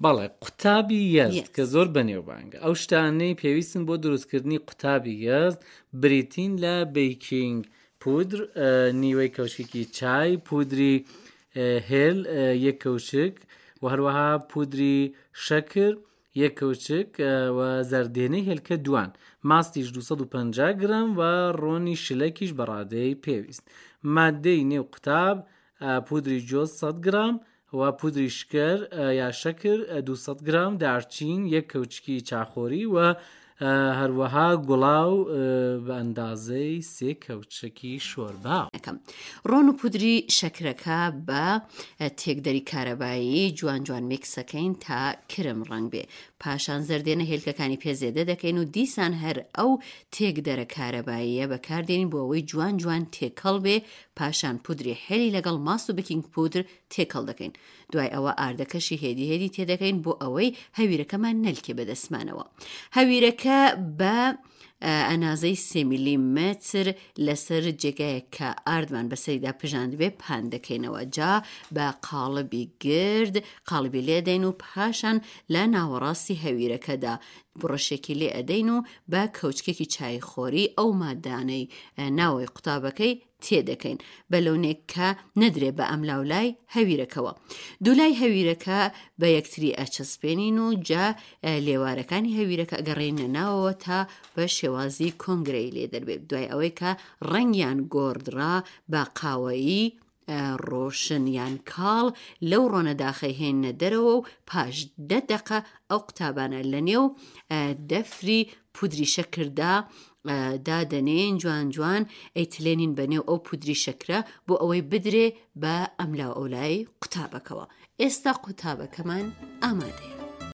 بەڵێ قوتابی یەزد کە زۆر بەنێوبانگە. ئەو شتانەی پێویستن بۆ دروستکردنی قوتابی یەزد بریتین لە بەیکینگ پودر نیوەی کەوچکێکی چای، پودری هێل یەک کەوچک و هەروەها پودری شەکر یەک کەوچک و زەردێنەی هێلکە دوان، ماستیش 250 گرام و ڕۆنی شلەکیش بە ڕادەی پێویست. ماددەی نێو قوتاب پودری جۆز 100 گرام و پودری شکر یا شەکر 200 گرام، دارچین یەک کەوچکی چاخۆری و هەروەها گوڵاو بە ئەندازەی سێ کەوچکی شۆربا. ڕۆن و پودری شەکرەکە بە تێکدەری کارەبایی جوان جوان میکسەکەین تا کرم ڕەنگ بێ پاشان زەردێنە هێلکەکانی پێ زێدە دەکەین و دیسان هەر ئەو تێکدەرە کارەباییە بەکاردێنین بۆ ئەوەی جوان جوان تێکەڵ بێ پاشان پودری حێلی لەگەڵ ماست و بکینگ پودر تێکەڵ دەکەین دوای ئەوە ئاردەکەشی هێدی هێدی تێدەکەین بۆ ئەوەی هەویرەکەمان نەلکێ بەدەستمانەوە هەویرەکە بە ئەنازەی سێ میلیمەتر لەسەر جێگایەک کە ئاردمان بەسەریدا پژاندبێ پان دەکەینەوە جا بە قاڵبی گرد قاڵبی لێدەین و پاشان لە ناوەڕاستی هەویرەکەدا بڕشێکی لێ ئەدەین و بە کەوچکێکی چایخۆری ئەو مادانەی ناوەی قوتابەکەی تێدەکەین بە لۆنێک کە نەدرێ بە ئەملاولای هەویرەکەوە. دوولای هەویرەکە بە یەکتری ئەچەسپێنین و جا لێوارەکانی هەویرەکە ئەگەڕێنە ناوەوە تا بە شێوازی کۆنگرەی لێ دەربێت دوای ئەوەی کە ڕەنگیان گۆڕدرا بە قاوەیی ڕۆشن یان کاڵ لەو ڕۆنە داخەیهێننە دەرەوە و پاش دە دەقە ئەو قوتابانە لە نێو دەفری پودری شەکردا دادەنێین جوان جوان ئەیتلێنین بە نێو ئەو پودری شەکرە بۆ ئەوەی بدرێ بە ئەملاو ئەولای قوتابەکەوە ئێستا قوتابەکەمان ئامادەیە.